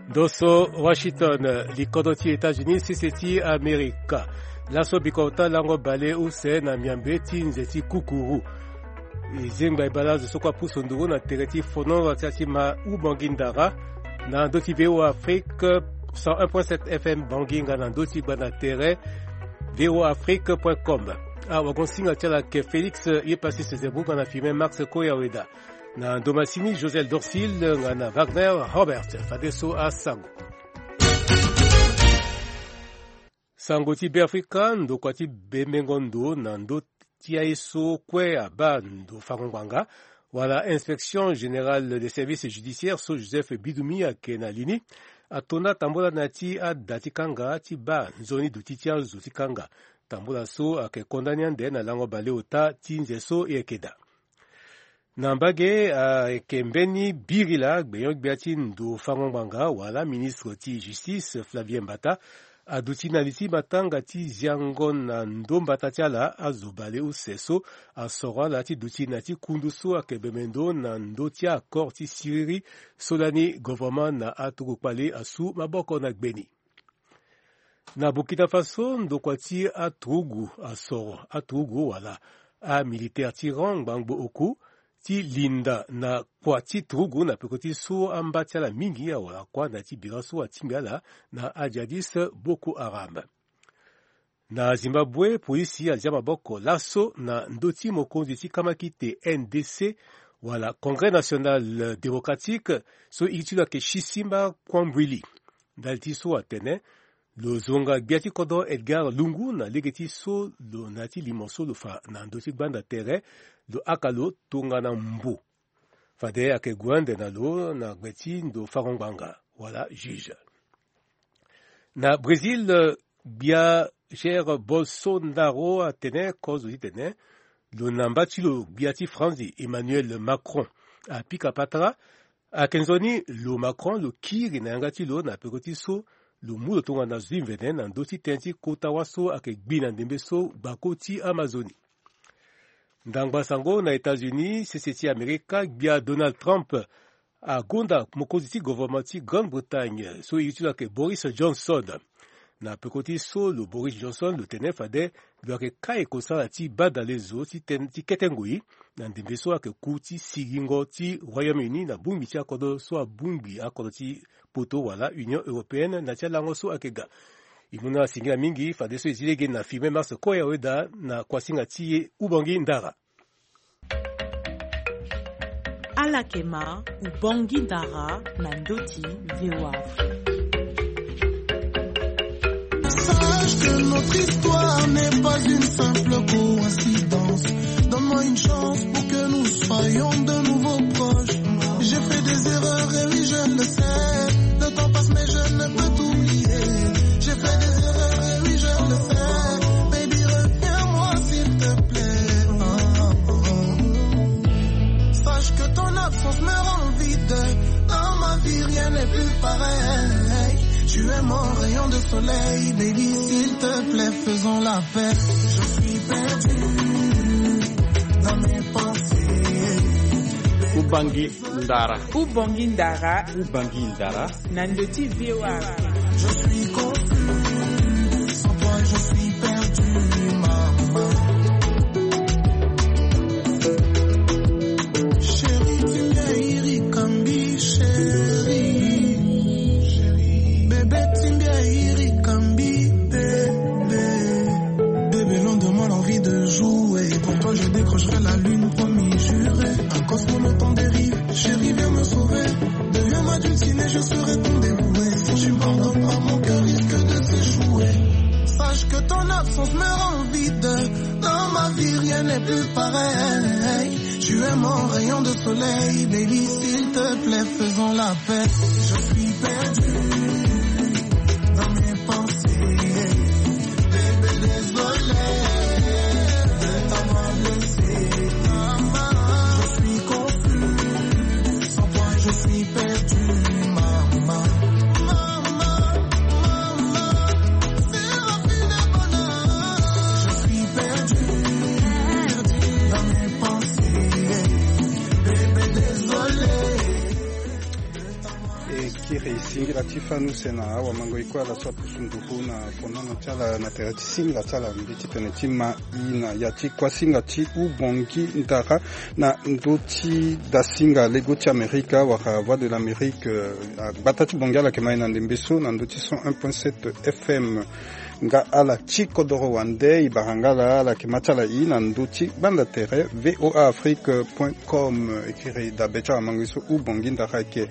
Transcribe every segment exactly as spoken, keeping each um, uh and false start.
Ndo so Washington, likodro ti États-Unis, sese ti Amerika. Laso bikota lango baleuse na miambe ti nze ti kukuru. E zengba e baleuse so kue apusu nduru na tere ti fono ti ma u Bangui Ndara, na ndö ti V O A Afrique, cent un point sept F M Bangui nga na ndö ti gbanda tere V O A Afrique point com. Awagon-singa ti ala ayeke Félix Yepassis Zebou nga na filme Max Koyaweda. Na ndo masini, Josel Dorsil nga na Wagner Robert. Fadeso asango. Sango ti Beafrika, ndokua ti bembengo ndo na ndö ti aye so kue abaa ndo fango ngbanga, wala Inspection Générale des Services Judiciaires so Joseph Bidoumi ayeke na li ni, atonda tambula na ya ti ada ti kanga ti baa nzoni duti ti azo ti kanga. Tambula so ayeke konda ni ande na lango baleota ti nze so e yeke daa. Na mbage, ayeke mbeni birila gbenyo-gbia ti ndo fango ngbanga wala ministre ti justice Flavien Mbata aduti na li ti matanga ti ziango na ndo mbata ti ala azo baleuse so asoro ala ti duti na ya ti kundu so ayeke bembe ndo na ndö ti accord ti siriri so lani governement na aturugu kpale asu maboko na gbe ni. Na Burkina Faso, ndokua ti aturugu asoro aturugu wala amilitaire ti rang ngbangbo oku ti linda na kua ti turugu na peko ti so amba ti ala mingi awara kua na ya ti bira so atingbi ala na ajihadiste Boko Haram. Na Zimbabwe, polisi azia maboko laso na ndö ti mokonzi ti kamakite N D C wala Congrès National Démocratique so iri ti lo ayeke Shisimba Kwambwili. Ndali ti so atene lo zonga gbia ti kodro Edgar Lungu na lege ti so lo na ya ti limo so lo fa na ndö ti gbanda tere, lo haka lo tongana mbo. Fade ayeke gue ande na lo na gbe ti ndo fango ngbanga wala juge. Na Brésil, gbia Jair Bolsonaro atene kozo titene lo na mba ti lo gbia ti Franzi Emmanuel Macron apika patara. Ayeke nzoni lo Macron lo kiri na yanga ti lo na peko ti so lo mu lo tongana zo ti mvene na ndö ti tënë ti kota wâ so ayeke gbi na ndembe so gbako ti Amazoni. Ndangba sango na États-Unis, sese ti Amerika, gbia Donald Trump agonda mokonzi ti gouvernement ti Grande-Bretagne so iri ti lo ayeke Boris Johnson. Na peko ti so lo Boris Johnson lo tene fade lo yeke kai kosala ti badale zo ti ten-, ti kete ngoi na ndembe so ayeke ku ti sigingo ti Royaume-Uni na bongbi ti akodro so abongbi akodro ti poto wala Union Européenne na ti alango so ayeke ga. E mu na singila mingi fadeso e zi lege na filme Max Koyaweda na kuasinga ti e Ubangi Ndara. Ala yeke ma Ubangi Ndara na ndö ti V O A Afrique. Sache que notre histoire n'est pas une simple coïncidence. Donne-moi une chance pour que nous soyons de nouveau proches. J'ai fait des erreurs et oui, je le sais. Le temps passe, mais je ne peux t'oublier. J'ai fait des erreurs et oui, je le sais. Baby, reviens-moi, s'il te plaît. Oh, oh, oh. Sache que ton absence me rend vide. Dans ma vie, rien n'est plus pareil. Tu es mon rayon de soleil, baby, s'il te plaît, faisons la paix. Je suis perdu dans mes pensées. Ubangi Ndara. Ubangi Ndara. Ubangi Ndara. Na ndö ti V O A. Je suis confus. Sans toi, je suis perdu, maman. Chérie, tu me iri kambi, chérie. Bébé, tu me iri kambi, bébé. Bébé, loin de moi l'envie de jouer. Pour toi, je décrocherai la lune, promis, juré. Un cosmo, le temps dérive. Chérie, viens me sauver. Deviens ma dulcinée, je serai ton dévoué. Si tu me pardonnes pas, mon cœur risque de s'échouer. Sache que ton absence me rend vide. Dans ma vie, rien n'est plus pareil. Tu es mon rayon de soleil, baby, s'il te plaît, faisons la paix. Je suis perdu dans mes pensées. Bébé, désolé de t'avoir laissé. Je suis confus, sans toi, je suis perdu, maman. Maman, maman, c'est la fin des bonheurs. Je suis perdu dans mes pensées. Bébé, désolé. E kiri Singila ti fani use na awamango e kue ala so apusu nduru na fonono ti ala na tere ti singa ti ala mbi titene ti ma i na ya ti kuasinga ti Ubongi Ndara na ndö ti dasinga lego ti Amerika wala Voix de l'Amérique, eh, agbata ti Bongi ala yeke ma i na ndembe so na ndö ti cent un point sept F M. Nga ala ti kodoro wande e bara nga ala, ala yeke ma ti ala i na ndö ti gbanda tere V O A Afrique point com. E kiri dabe ti awamango e so Ubongi Ndara ayeke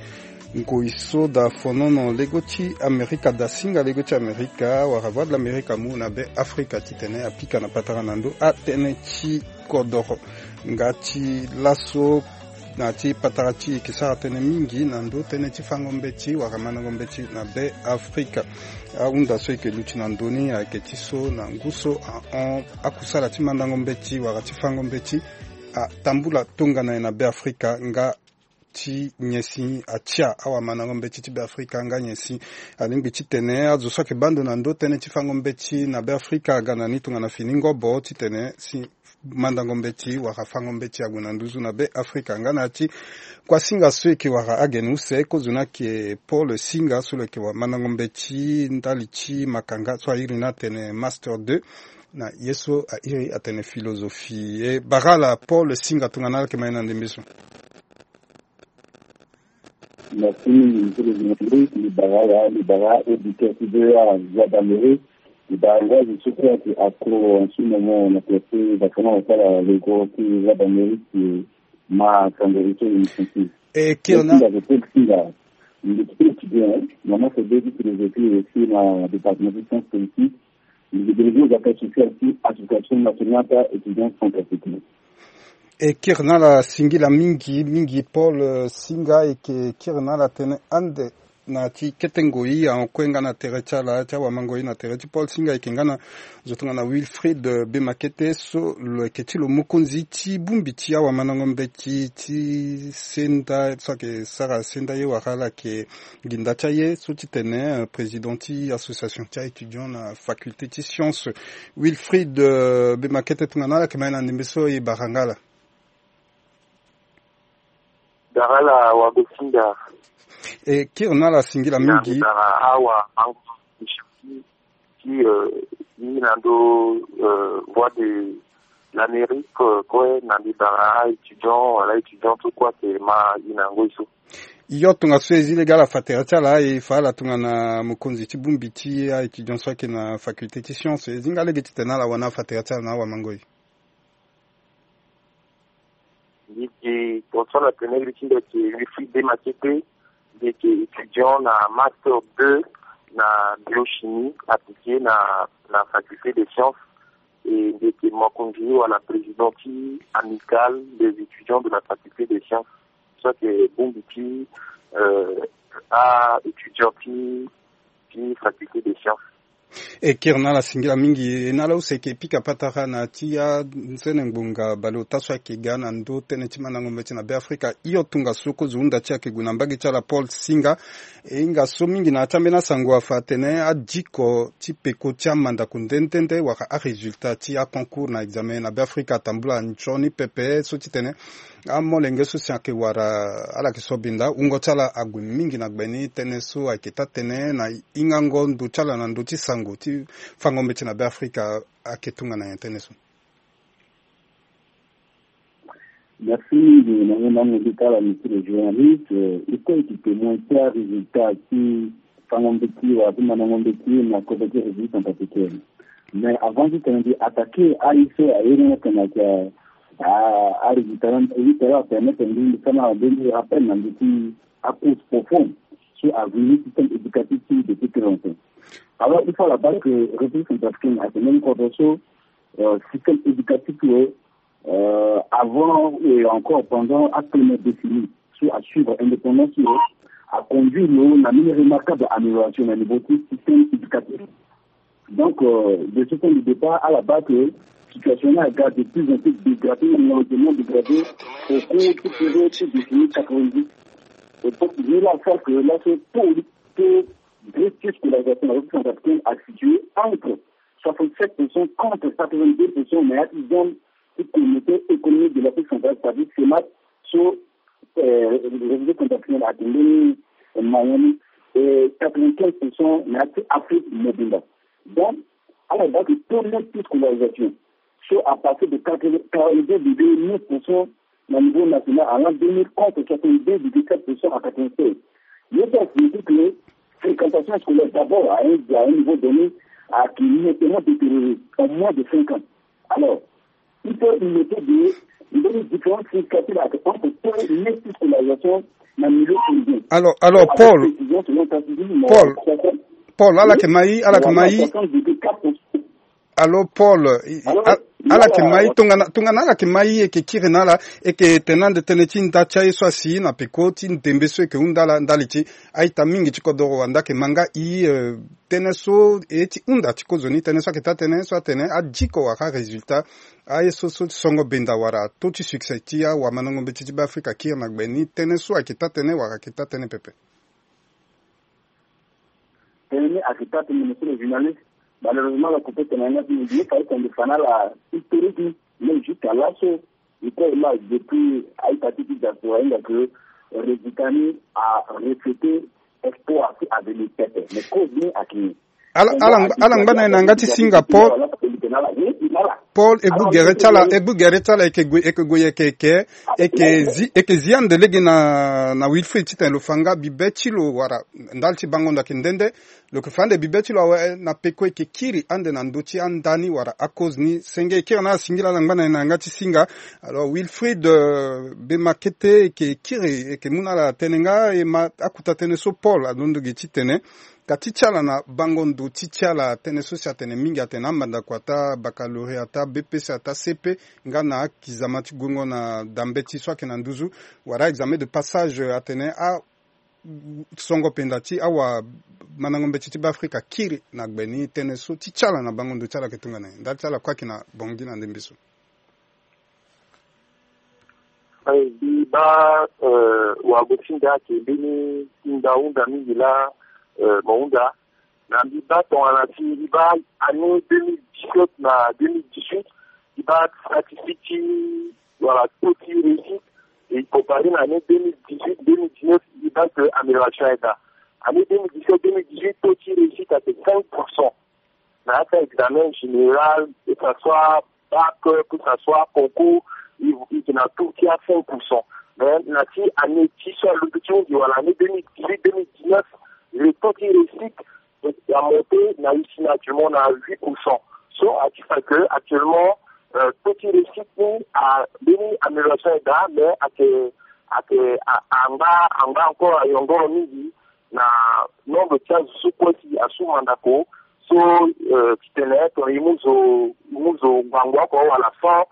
ngoi so da fonono lego ti Amerika, dasinga lego ti Amerika wala Voix de l'Amérique amu na Be Afrika titene apika na patara na ndö atënë ti kodoro. Nga ti laso na ti patara ti e yeke sara tënë mingi na ndö tënë ti fango mbeti wala mandango mbeti na Be Afrika. Ahunda so e yeke luti na ndö ni ayeke ti so na ngu so ahon akusala ti mandango mbeti wala ti fango mbeti atambula tongana nyen na Be Afrika nga ti nyen si atia awamandango mbeti ti Be Afrika nga nyen si alingbi titene azo so ayeke baa ndo na ndö tënë ti fango mbeti na Be Afrika aga na ni tongana fini ngobo titene si mandango mbeti wala fango mbeti ague na nduzu na Be Afrika. Nga na ya ti kuasinga so e yeke wara agene use, kozo ni ayeke Paul Singa so lo yeke wara mandango mbeti ndali ti makanga so airi ni atene master deux, na ye so airi atene philosophie. E bara ala Paul Singa tongana ala yeke ma e na ndembe so. Merci mingi, monsieur le journaliste. Libara ya, libara auditeur ti V O A Voix d'Amérique. Libara ngoi zo so kue ayeke accro en ce moment na tere ti vacana wasala lego ti Voix d'Amérique, eh, ma sango e so émission ti. E kiri na. Singa, je peux le dire, il est très étudiant, hein. Maman, c'est deux philosophie aussi na département de sciences politiques. Il est délégué aux affaires sociales ti Association Nationale Étudiants Centrafricains. E kiri na ala singila mingi mingi Paul, eh, Singa, e yeke kiri na ala tënë ande na ti kete ngoi ahon kue nga na tere ti ala ti awamango e na tere ti Paul Singa. E yeke nga na zo tongana Wilfried, eh, Bemakete so lo yeke ti lo mokonzi ti bongbi ti awamandango mbeti ti senda so ayeke sara senda ye wala ala yeke nginda ti aye so titene, eh, président ti association ti a-étudiant na faculté ti science. Wilfried, eh, Bemakete tongana ala yeke ma e na ndembe so e bara nga ala. Bara ala wago Singa. E kiri na ala singila mingi. Bara awa angu ti, eh, i na ndo, eh, Voix de l'Amérique, eh, kue na mbi bara a-étudiant wala étudiant so kue ayeke ma i na ngoi so. Yo tongaso e zi lege ala fa tere ti ala e fa ala tongana mokonzi ti bongbi ti a-étudiant so ayeke na faculté ti science. E zi nga lege titene ala wani afa tere ti ala na awamango e. Mbi yeke tongaso na tene li ti mbi ayeke Wilfried Bemakete. Mbi yeke étudiant na master deux na biochimie appliquée na, na faculté des sciences. E mbi yeke mokonzi wala président ti Amicale des étudiants de la faculté des sciences. So ayeke bongbi ti, euh, a-étudiant ti, ti faculté des sciences. E kiri na ala singila mingi. E na ala use e yeke pika patara na ti anzene ngbonga baleota so ayeke ga na ndö tënë ti mandango mbeti na Be Afrika. Hio tongaso kozo hunda ti e ayeke gue na mbage ti ala Paul Singa. E hinga so mingi na ya ti ambeni asango afa atene adiko ti peko ti amandako nde nde nde wala arésultat ti aconcours na examen na Be Afrika atambula nzoni pepe so titene amolenge so si ayeke wara ala yeke sobinda wungo ti ala ague mingi na gbe ni. Tënë so ayeke taa tënë na hingango ndo ti ala na ndö ti sango ti fango mbeti na Be Afrika ayeke tongana nyen tënë so? Merci mingi na ngai na ngai ti ala, monsieur le journaliste. Eh, e kue e yeke témoin ti arésultat ti fango mbeti wala ti mandango mbeti na kodro ti République centrafricaine. Mais avant ti tene mbi attaquer aye so aye ni atene ayeke a, arésultat ni, aye ti ala apermettre mbi mbi sara na mbeni rappel na ndö ti acourse profonde so aveni système éducatif ti depuis très longtemps. Alors, il faut à la base que République centrafricaine ayeke mbeni kodro so, euh, système éducatif lo, euh, avant et encore pendant apene décennie so asuivre indépendance lo, aconduire lo na mbeni remarquable amélioration na niveau ti système éducatif. Donc, euh, de ce point de départ, à la base, euh, situation-là a de plus en plus dégradée, malheureusement dégradée au cours de ces décennies quatre-vingt-dix. Et donc, il est là à faire que là, ce taux, taux de déscolarisation de la République centrafricaine a situé entre soixante-sept pour cent contre quatre-vingt-deux pour cent, mais à une zone qui communauté économique de l'Afrique centrale, c'est-à-dire CEMAC, sur, euh, République centrafricaine a donné, euh, moyenne Et quatre-vingt-quinze pour cent na ya ti Afrique mobimba. Donc, ala baa ke taux net ti scolarisation so a passé de quarante-deux virgule neuf pour cent na niveau national en l'an deux mille, contre soixante-deux virgule sept pour cent en quatre-vingt-seize. Ye so a signifie que fréquentation scolaire d'abord à un, à un niveau donné a ke nettement détérioré en moins de cinq ans. Alors, il faut noter de, de différence significative entre taux net ti scolarisation na milieu privé. Alors, alors, Paul, précision selon Constitution, Paul, Paul, ala yeke ma i, ala yeke ma i. Soixante virgule quatre pour cent. Alors, Paul, i- i- Alors, a- ala yeke ma i, tongana tongana ala yeke ma i, e yeke kiri na ala, e yeke tene ande tënë ti nda ti aye so asi na peko ti ndembe so e yeke hunda ala ndali ti a-ita mingi ti kodoro wande ayeke ma nga i, eh, tënë so e ti hunda ti kozoni, tënë so ayeke taa tënë so atene adiko wala arésultat, aye so so ti songo benda wala taux ti succès ti awamandango mbeti ti Beafrika akiri na gbe ni, tënë so ayeke taa tënë wala ayeke taa tënë pepe. Tënë ni ayeke taa tënë, monsieur le journaliste. Malheureusement, la coupé tënë na yanga ti mbi, fade tene mbi fa na ala historique ni. Mais jusqu'à laso, e kue e ma depuis a-ita ti ti diaspora hinga ke résultat ni a reflété espoir ti avenir pepe. Mais cause ni ayeke ala ala ala ngba na e na yanga ti singa, Paul. Paul, e gbu gere ti ala, e gbu gere ti ala, e yeke gue, e yeke gue, e yeke, e yeke, e yeke zi, e yeke zi ande lege na na Wilfried titene lo fa nga bibe ti lo wala ndali ti bango ndo ayeke nde nde. Lo yeke fa ande bibe ti lo awe na peko e yeke kiri ande na ndö ti anda ni wala akoz ni. Senge, e kiri na ala, singila, ala ngba na e na yanga ti singa. Alors Wilfried, euh, be ma kete e yeke kiri, e yeke mu na ala tënë nga, e ma akuta tënë so Paul alondo gi titene ka ti ti ala na bango ndo ti ti ala, tënë so si atene mingi atene amandako ataa baccalauréat, ataa B P C, ataa C P, nga na akizama ti guengo na da mbeti so ayeke na nduzu, wala examen de passage, atene a songo penda ti awamandango mbeti ti Beafrika akiri na gbe ni, tënë so ti ti ala na bango ndo ti ala ayeke tongana nyen? Ndali ti ala kue ayeke na Bangui na ndembe so. Eh, mbi baa, eh, wago ti nda ayeke mbeni ti nda hunda mingi laa, eh, mo hunda. Na mbi baa tongana si mbi baa année deux mille dix-sept na deux mille dix-huit, mbi baa statistique ti, wala, taux ti réussite, e comparer na année deux mille dix-huit, deux mille dix-neuf, mbi baa que amélioration aye daa. Année deux mille dix-sept, deux mille dix-huit, taux ti réussite ayeke cinq pour cent. Na ya ti examen général, que ça soit bac, que ça soit concours, i, i yeke na taux ti a cinq pour cent. Mais na ti année ti so alondo ti hunzi, wala année deux mille dix-huit, deux mille dix-neuf, le taux ti réussite a monté na e si na actuellement na huit pour cent. So a ti fa que actuellement, euh, taux ti réussite ni a mbeni amélioration aye daa, mais ayeke, ayeke a, angba, angba encore ayongoro mingi na nombre ti azo so kue si asu mandako. So, euh, titene tongana e mu zo, e mu zo ngbangbo oko wala cent,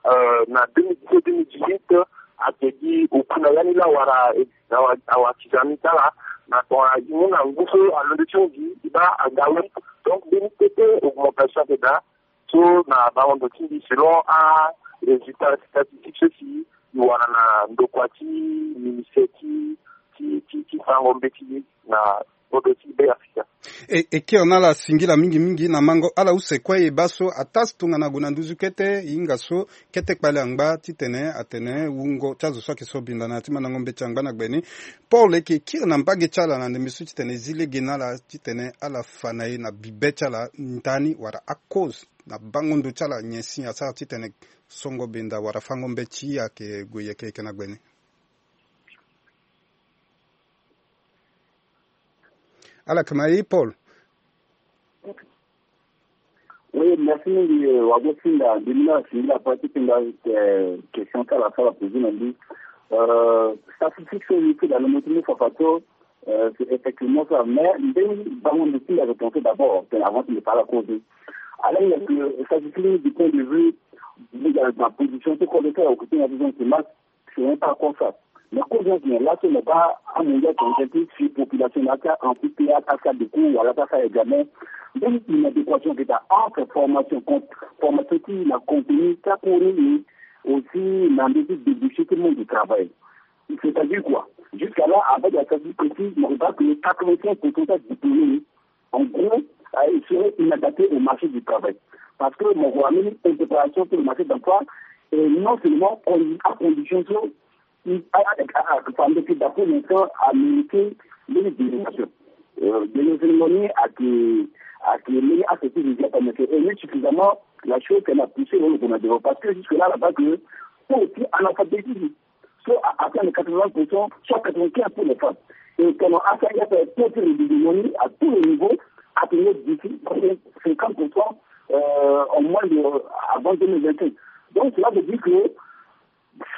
euh, na deux mille dix-sept, deux mille dix-huit, ayeke gi oku na ya ni laa wala, eh, awa, awa ti za ni ti ala, na tongana e mu na ngu so alondo ti hunzi, e baa aga huit. Donc mbeni kete augmentation ayeke daa. So na bango ndo ti mbi, selon arésultat statistique so si e wara na ndokua ti ministère ti, ti, ti, ti fango mbeti na kodro ti Beafrika. E, e kiri na ala singila mingi mingi na mango ala use kue e baa so ataa si tongana gue na nduzu kete e hinga so kete kpale angba titene atene wungo ti azo so ayeke so binda na ya ti mandango mbeti angba na gbe ni. Paul, e yeke kiri na mbage ti ala na ndembe so titene e zi lege na ala titene ala fa na e na bibe ti ala ndani wala akoz na bango ndo ti ala nyen si asara titene songo benda wala fango mbeti ayeke gue yeke yeke na gbe ni. Ala yeke ma e, Paul. Oui, merci mingi, euh, wago singa, mbi mu na ala singila ape ti tenda, euh, question ti ala so ala posé na mbi. Euh, statistique so mbi ti da na mbi ti mu fafa so, euh, c'est effectivement ça. Mais mbeni bango ndo ti mbi ayeke pensé d'abord, avant ti mbi fa ala cause. Alors, il y a que statistique du point de vue, na position ti kodro ti ala, occupé na besoin de masse, c'est un pas comme ça. Mais kozo ni ayeke nyen? Laso mo baa amondial ayeke en train ti population na ya ti a-amputé, ya ti asala decours wala ti asala examen. Mbeni inadéquation ayeke daa entre formation, con-, formation ti na contenu ti acours ni, aussi na ndö ti débouché ti monde du travail. C'est-à-dire quoi? Jusqu'à là, avec la statistique précise, mo baa que quatre-vingt-quinze pour cent ti adiplômé ni, en gros, euh, il serait inadapté au marché du travail. Parce que mo ko na mbeni préparation pour le marché d'emploi, et non seulement on a condition so Ake fa mbeti da pour l'instant amérité mbeni délégation. Délégation moni ake ake mbeni acte ti zizi atameke et ni suffisamment la chose qu'elle a poussé au gouvernement parce que jusque là là-bas que pour aussi analphabétisme soit à atteindre quatre-vingts pour cent, soit quatre-vingt-quinze pour les femmes. Et quand on a fait un peu de l'hégémonie à tous les niveaux, à tenir d'ici cinquante pour cent euh, en moins de, avant deux mille vingt-cinq. Donc cela veut dire que le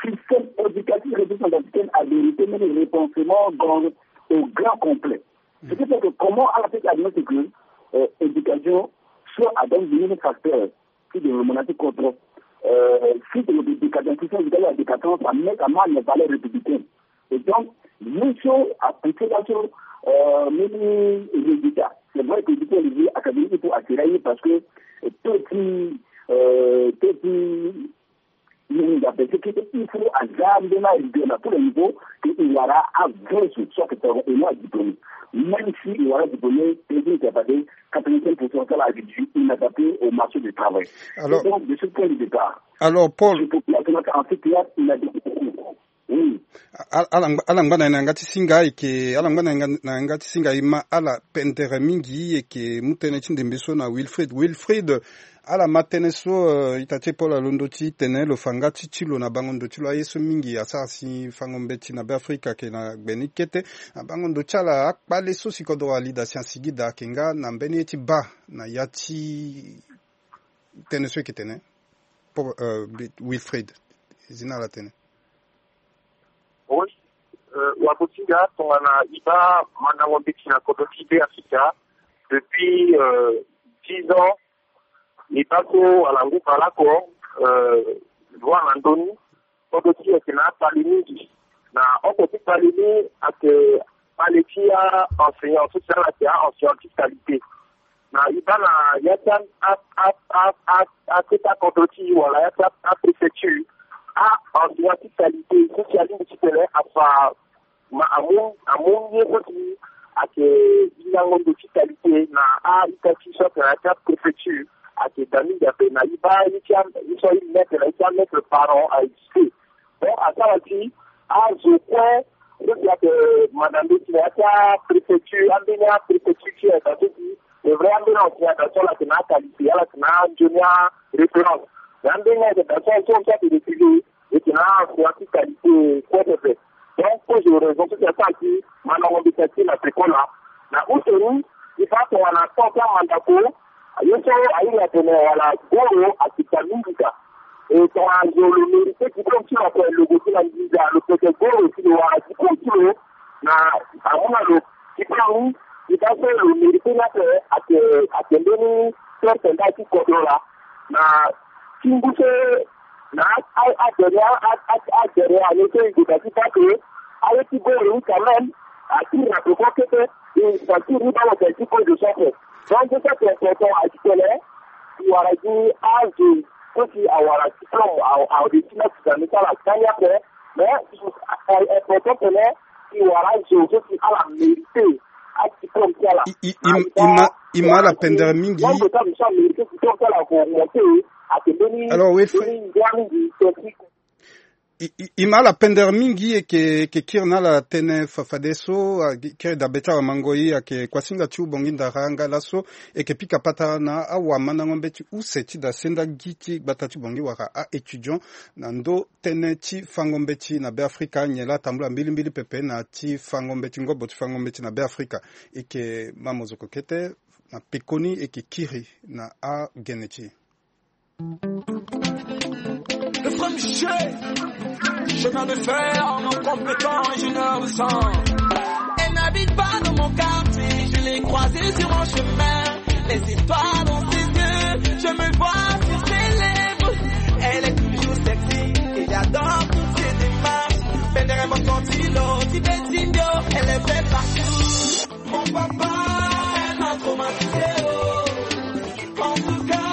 système éducatif républicain a vérité même le repensement dans, au grand complet. Ce qui fait que comment on a fait admettre que euh, éducation soit à donc des facteurs ti développement na ti kodro. Si décadence ti sens éducatif a décadence a mètre à mal les valeurs républicaines. Et donc, ni so apoussé la so mini résultat. C'est vrai que du point de vue académique il faut attirer parce que petit petit mini da bese kete il faut aza mbena idée na tous les niveaux que il wara avensu soit que c'est un diplômé. Même si il wara diplômé, petit capable quatre-vingt-cinq pour cent sala agriculture inadapté au marché du travail. Alors, donc de ce point de départ, alors Paul, je peux dire que en fait il y a il a des oui. Ala ngba na yanga ti singa eke ala ngba na yanga ti singa ima ala pendere mingi eke mu tënë ti ndembe so na Wilfried. Wilfried, ala ma tënë so ita ti Paul alondo ti tene lo fa nga ti ti lo na bango ndo ti lo aye so mingi asara si fango mbeti na Beafrika ake na gbe ni kete. Na bango ndo ti ala akpale so si kodro alida si asigi daa ake nga na mbeni ye ti baa na ya ti tënë so eke tene. Wilfried, zi na ala tënë. Oui. Wakotinga tongana iba mandango mbeti na kodro ti Beafrika depuis dix ans. Iba so wala ngu bale oko loi na ndoni kodro ti eke na akpali mingi. Na oko ti kpali ni ake kpali ti a enseignant so si ala ake a enseignant ti qualité. Na iba na ya ti a a a a aketa kodro ti wala ya ti a préfecture a enseignant ti qualité so si alingbi ti tene afa ma amu amu ye so si ake hingango ndo ti qualité na a ita ti so ake na ya ti a préfecture ake da mingi ape na iba ye ti a ye so aye mètre na ye ti a mètre parent a existe. Donc asara ti azo kue so si ake madame de ti na ya ti a préfecture ambeni a préfecture ti eda so si c'est vrai ambeni enseignant da so ala ake na akalité ala ake na anzoni a référence. Mais ambeni ake da so so so ake refusé eke na enseignant ti qualité kue pepe. Donc cause de raison so si asara ti mandango mbeti ake na peko laa na use ni. Ti fa tongana temps ti amandako ye so ahinga atene wala goro akita mingi ka. E tongana zo lo mérité diplôme ti lo ape lo gue ti na nginza lo peke goro ti lo wala diplôme ti lo na amu na lo diplôme ni. Ti fa so lo mérité ni ape ake ake mbeni perte nda ti kodro laa na ti ngu so na a a a dernier a a a dernier année so e gue da ti baa ke aye ti goro ni quand même atiri na peko kete. E sentir ni baa lo tene ti cause de so ape. Donc so so ake important ake tene e wara gi azo so si awara diplôme a a réussi na ti da ni ti ala kani ape. Mais important tene e wara azo so si ala mérité adiplôme ti ala. I i i ma i ma ala pendere mingi. Nombre ti azo so amérité diplôme ti ala ako augmenté. Ake mbeni alors oui, mbeni ngia mingi. I, i, i ma ala pendere mingi eke eke kiri na ala tënë fa fadeso. Kiri dabe ti awamango ye ake kuasinga ti ubongi ndara nga laso eke pika patara na awamandango mbeti use ti da senda gi ti gbata ti bongi wala a-étudiant na ndo tënë ti fango mbeti na Beafrika nyen laa tambula mbilimbili pepe na ti fango mbeti ngobo ti fango mbeti na Beafrika. Eke ma mozoko kete na pekoni eke kiri na agene ti e. Le premier chemin de fer, mon compétent ingénieur de sang. Elle n'habite pas dans mon quartier, je l'ai croisée sur mon chemin. Les histoires dans ses yeux, je me vois sur ses lèvres. Elle est toujours sexy et j'adore toutes ses démarches. Pendere mokotilo ti betindio, elle est belle partout. Mon papa, elle m'a traumatisé, oh. En tout cas,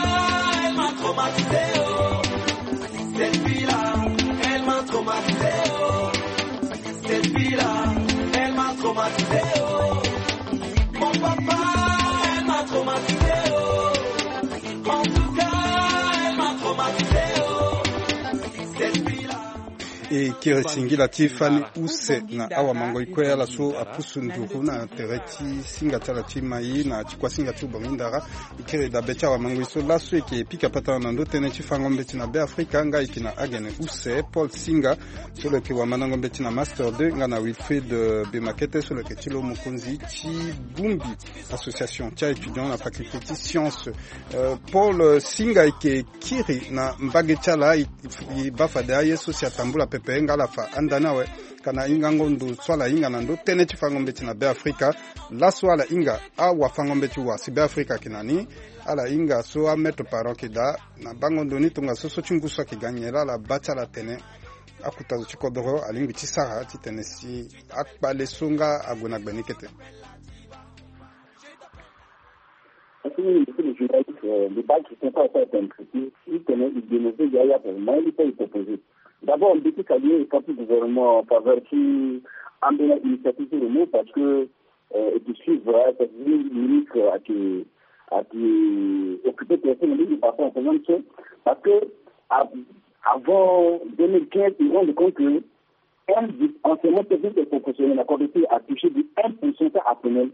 elle m'a traumatisé, oh. Cette fille-là, elle m'a traumatisé, oh. Cette fille-là, elle m'a traumatisé, oh. Mon papa, elle m'a traumatisé, oh. En tout cas, elle m'a traumatisé, oh. Cette fille-là. E kiri singila ti fani use na awamangoi kue ala so apusu nduru na tere ti singa ti ala ti mai na ti kuasinga ti Ubongi Ndara. E kiri dabe ti awamangoi so laso e yeke pika patara na ndö tënë ti fango mbeti na Beafrika nga e yeke na agene use Paul Singa so lo yeke wamandango mbeti na Master deux nga na Wilfried, euh, Bemakete so lo yeke ti lo mokonzi ti bongbi association ti a-étudiant na faculté ti science. Euh, Paul, euh, Singa e yeke kiri na mbage ti ala, e, e baa fade aye so si atambula pepe nga ala fa andani awe. Ka na hingango ndo so ala hinga na ndö tënë ti fango mbeti na Beafrika. Laso ala hinga awafango mbeti wa si Beafrika ayeke na ni. Ala hinga so amaître parent ayeke daa na bango ndo ni tongaso so ti ngu so ayeke ga nyen laa ala baa ti ala atene akota zo ti kodoro alingbi ti sara titene si akpale so nga ague na gbe ni kete. Parce que nous, nous sommes des journalistes, euh, le bac, ils sont pas encore intraités. Ils connaissent, ils dénoncent, il y a, il y a vraiment, il faut les proposer. D'abord, on peut saluer le parti gouvernement en faveur qui a amené l'initiative sur le mot parce que, euh, et de suivre, hein, cette ministre a été, a été occupée personnellement de façon en faisant une chose. Parce que av- avant deux mille quinze, ils se rendent compte que un enseignement technique et professionnel, la corrective a touché de un pour cent à personnel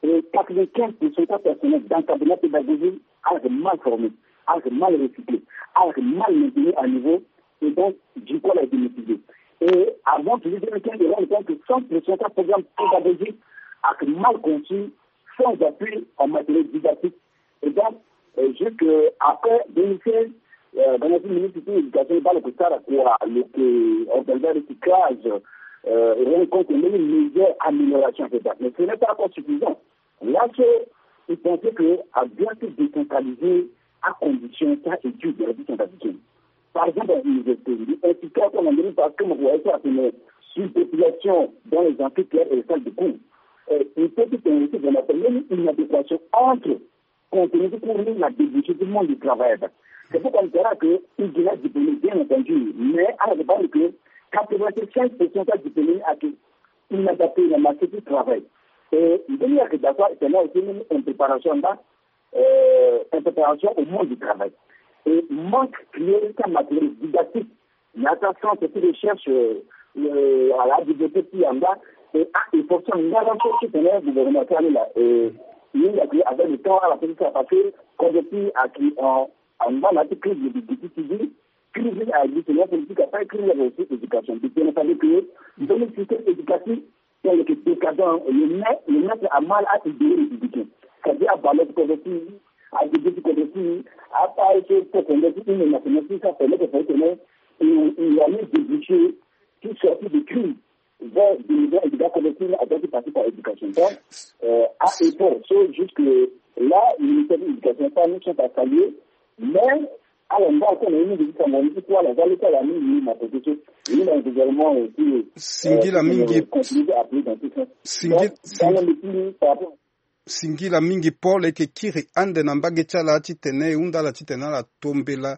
et quatre-vingt-quinze pour cent à personnel d'encadrement pédagogique a été mal formé, a été mal recyclé, a été mal maintenu à niveau et donc, du coup, elle a été motivée. Et avant, toujours deux mille quinze, ils se rendent compte que cent pour cent à programme pédagogique a été mal conçu, sans appui en matériel didactique. Et donc, euh, juste euh, après deux mille seize, euh, dans notre ministre de l'éducation, il parle que ça, la quoi, le que organisé le recyclage, euh, rencontre une meilleure amélioration, et cetera. Mais ce n'est pas encore suffisant. Là, c'est, il pensait que a bien été décentralisé à condition ça étude de la vie centrafricaine. Par exemple, à l'université, il est inscrit à son endroit parce que moi, ça, c'est une surpopulation dans les amphithéâtres et les salles de cours. Euh, il peut être aussi, on appelle même une adéquation entre contenu du cours et la débouchée du monde du travail. C'est pourquoi on dira que il y a diplômé, bien entendu, mais à la demande que quatre-vingt-cinq pour cent de diplômés a été inadapté dans le marché du travail. Et il y a que d'accord, c'est là aussi une préparation là, euh, une préparation au monde du travail. Et manque cruel de matériel didactique. Il y a ta centre de recherche, euh, euh, à la bibliothèque qui en bas, et à efforcer en allant chercher ton gouvernement qui est là. Et il y a que avec le temps, à la police à passer, comme depuis à qui en, en bas, la crise de difficulté, crise à exister, la politique à pas écrit aussi éducation. Donc, il fallait que dans le système éducatif, tel que décadent, le maître, le maître a mal à idéer les éduquer. C'est-à-dire à ballot comme si, à des petits comme si, à pas essayer de comprendre une nationalité, ça permet de faire que il y a eu des déchets qui sortent de crise vers des maisons éducatives comme si à d'autres parties par éducation. Donc, euh, à effort, c'est juste que là, le ministère de l'éducation, ça, nous sommes à saluer, mais alors, nga oko na ye mingi ti sango ni ti kuâ ala za leta ala mingi na côté so. Ye na gouvernement aussi, singila euh, mingi. Continue à appuyer dans ce sens. Singil- Donc, dans singil- le plus par rapport singila mingi Paul eke kiri ande na mbage ti ala titene e hunda ala titene ala tombela,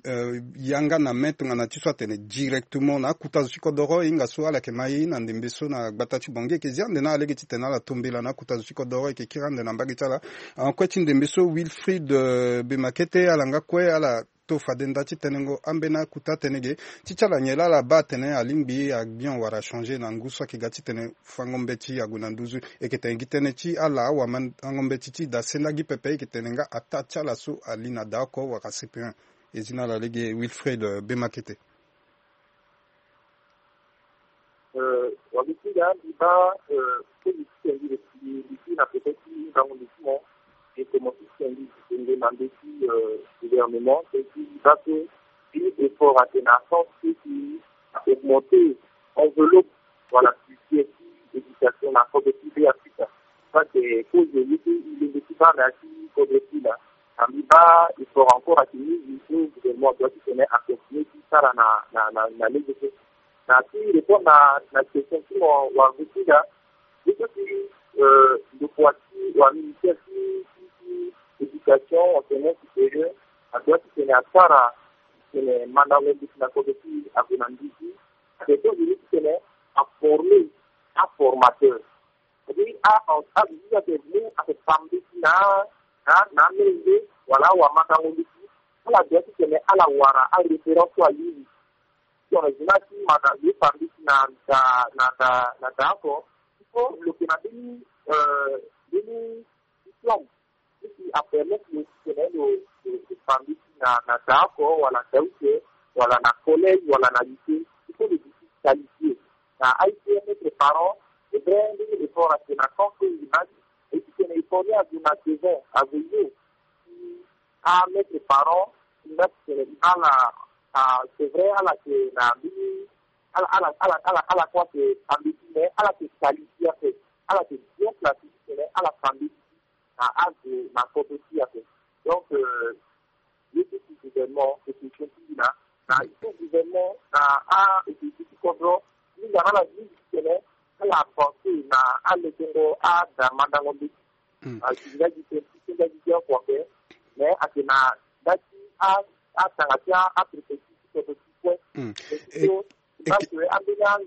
euh, yanga na me tongana ti so atene directement na akuta zo ti kodoro e hinga so ala yeke ma e na ndembe so na gbata ti Bangui eke zi ande na ala lege titene ala tombela na akuta zo ti kodoro eke kiri ande na mbage ti ala. Akue ti ndembe so Wilfried, euh, Bemakete ala nga kue ala to fade nda ti tenengo ambeni akuta tënë ge ti ti ala nyen laa ala baa atene alingbi agbia wala achangé na ngu so ayeke ga titene fango mbeti ague na nduzu. E yeke tene gi tënë ti ala awamandango mbeti ti da senda gi pepe e yeke tene nga ataa ti ala so ali na da oko wala C P un. E zi na ala lege Wilfried, euh, Bemakete. Euh, wa mbi ti ga mbi baa, euh, so mbi ti tene mbi, mbi, mbi ti na pete ti ngangu mbi ti mo, mbi komo ti tene mbi ti tene na mbeti, euh, gouvernement, tene ti mbi baa so fini effort atene na sens ti ti augmenter enveloppe wala budget ti éducation na kodro ti Beafrika. Parce que cause ye ti e lenge ti baa na ya ti kodro ti e laa, na mbi baa effort encore ayeke mingi so gouvernement adoit ti tene acontinue ti sara na, na, na, na lege so. Na ti répondre na, na question ti mo wa gue ti ga, ye so ti, euh, ndokua ti wa ministère ti, ti, ti éducation, enseignement supérieur, adoit ti tene asara, tene mandango mbeti na kodro ti e ague na nduzu. Ayeke so veni ti tene aformer aformateur. Abibi a, a, abibi ayeke mu ayeke fa mbeti na, na, na amenge wala awamandango mbeti. Ala doit ti tene ala wara aréférence so alingbi. Tongana zi ni asi manda lo fa mbeti na da na da na da oko. Il faut lo yeke na mbeni mbeni diplôme ti ti apermettre lo titene lo lo fa mbeti na na da oko wala da use wala na collège wala na lycée. Il faut lo duti qualifié na aye ti mettre parent. C'est vrai mbeni effort ayeke na tant que image. Et titene effort ni azo na devant azo yo ti amettre parent ti nga titene ala. Ah, c'est vrai ala yeke na mbeni ala ala ala ala ala kue ayeke fa mbeti mais ala yeke qualifié ape. Ala yeke bien classé titene ala fa mbeti na azo na poto ti ape. Donc euh, ye ti ti gouvernement eke ti na na ye ti gouvernement na a eke ti ti kodro. Mingi na ala mingi titene ala avancer na alekengo ada mandango mbeti. Asi nga gi te ti nga gi te oko ape. Mais ayeke na nda ti a atanga ti a apréfecture ti kodro ti kue.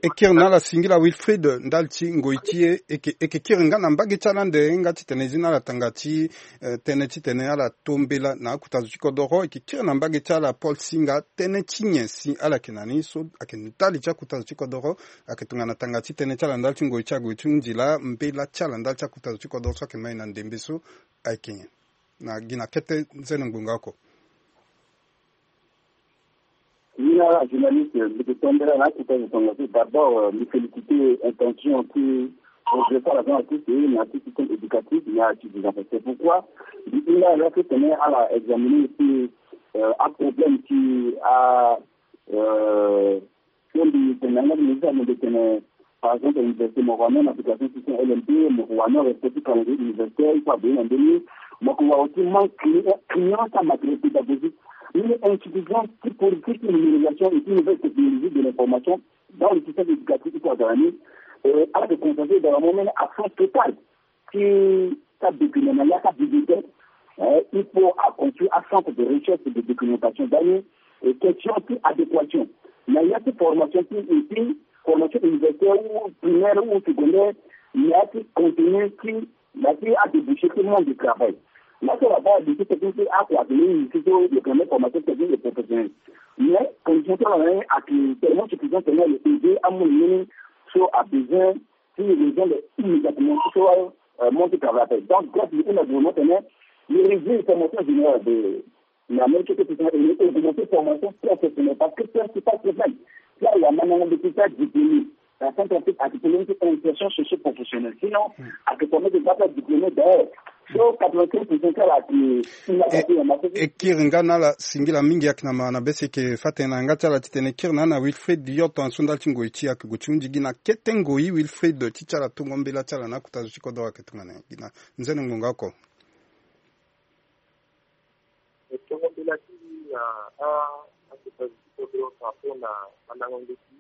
E kiri na ala singila Wilfried ndali ti ngoi ti e eke eke kiri nga na mbage ti ala ande nga titene zi na ala tanga ti eh, tënë titene ala to mbela na akuta zo ti kodoro eke kiri na mbage ti ala Paul Singa tënë ti nyen si ala yeke na ni so ayeke ndali ti akuta zo ti kodoro. Ayeke tongana tanga ti tënë ti ala ndali ti ngoi ti ague ti hunzi laa mbela ti ala ndali ti akuta zo ti kodoro so ayeke mai na ndembe so ayeke nyen? Na gi na kete nzene ngbonga oko. Mina journaliste mbi yeke tombela na akuta zo tongaso d'abord mbi féliciter intention ti projet so ala za na ti se na ti système éducatif na ti dizan. C'est pourquoi mbi hinga ala so tene ala examiner aussi aproblème ti a so mbi tene na yanga ti ministre alondo tene par exemple université mo wani na application système L M P mo wani respect ti calendrier universitaire il faut abéi na ndeni. Mo ko wa aussi manque client client sa matériel pédagogique ni insuffisance ti politique ti numérisation et ti nouvelle technologie de l'information dans le système éducatif il faut azala ni. Ala de constater dans le moment absence totale ti sa document na ya sa bibliothèque. Il faut aconstruire un centre de recherche et de documentation dani et question ti adéquation na ya ti formation ti ti formation universitaire ou primaire ou secondaire na ya ti contenu ti na ti adébouché ti monde de travail. Na so laba lycée technique ti akua ake ni lycée so le premier formation technique et professionnelle mais condition ti ala na ni ake tellement suffisant tellement le aider amu na ni so abesoin ti région de immédiatement so monte travail appel donc bref le ina gouvernement tene le régie formation générale de na même chose que augmenter formation professionnelle parce que principal problème ti awamandango mbeti ti adiplômé na centre afrique ake problème ti insertion socio professionnelle sinon ake formé de bata diplômé d'ailleurs so quatre-vingt-quinze pour cent ti ala ake inapati na marché. E kiri nga na ala singila mingi ayeke na ma na be si eke fa tënë na yanga ti ala titene e kiri na ala Wilfried yo tongaso ndali ti ngoi ti e ake gue ti hunzi gi na kete ngoi Wilfried ti ti ala tongo mbela ti ala na akuta zo ti kodoro ayeke tongana nyen gi na nzene ngbonga oko. E tongo mbela ti mbi na a akuta zo ti kodro par rapport na mandango mbeti.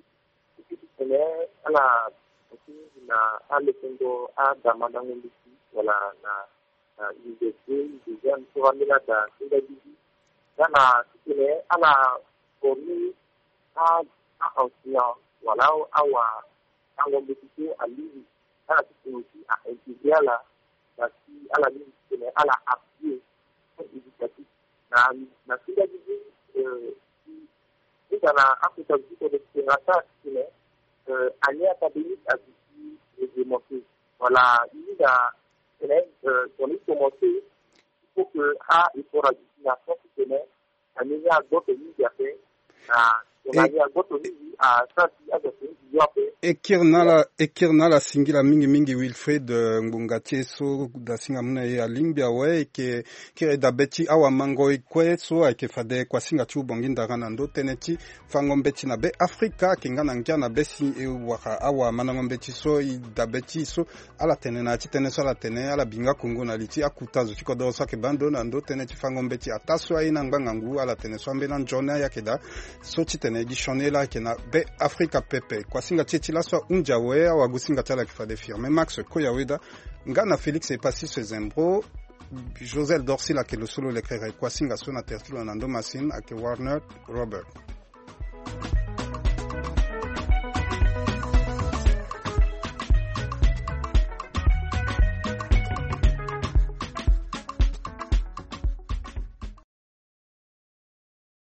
E ke ti tene ala ake mingi na alekengo ada mandango mbeti wala na na université déjà ni so ambeni ada ti nga gigi nga na ti tene ala former a a enseignant wala awa ango mbeti so alingbi ala ti tene aussi a intégrer ala na si ala lingbi ti tene ala appuyer éducatif na na si nga gigi. Ti nga na akota gigi tene ti tene asara ti tene année académique aduti réglementé wala ti nga tene tene ti commencer il faut que a effort aduti na sens ti tene année ni agboto mingi ape na tongani agboto mingi asara ti azo ape mingi yo ape. E kiri na ala e kiri na ala singila mingi mingi Wilfried ngbonga ti e so dasinga mu na e alingbi awe e ke kiri dabe ti awamango e kue so ayeke fade kuasinga ti ubongi ndara na ndö tënë ti fango mbeti na be afrika ayeke nga na ngia na be si e wara awamandango mbeti so e dabe ti e so ala tene na ya ti tënë so ala tene ala bi nga kongo na li ti akuta zo ti kodoro so ayeke baa ndo na ndö tënë ti fango mbeti ataa so aye ni angbanga ngu ala tene so ambeni anzoni ayeke daa so titene e gi sioni e laa ayeke na be afrika pepe kuasinga ti e ti laso ahunzi awe awagosinga ti ala ayeke fade firme max koya weda nga na félix epassis zembro. Josel dorsil ayeke lo so lo lekere kuasinga so na tere ti lo na ndo masine ayeke warner robert.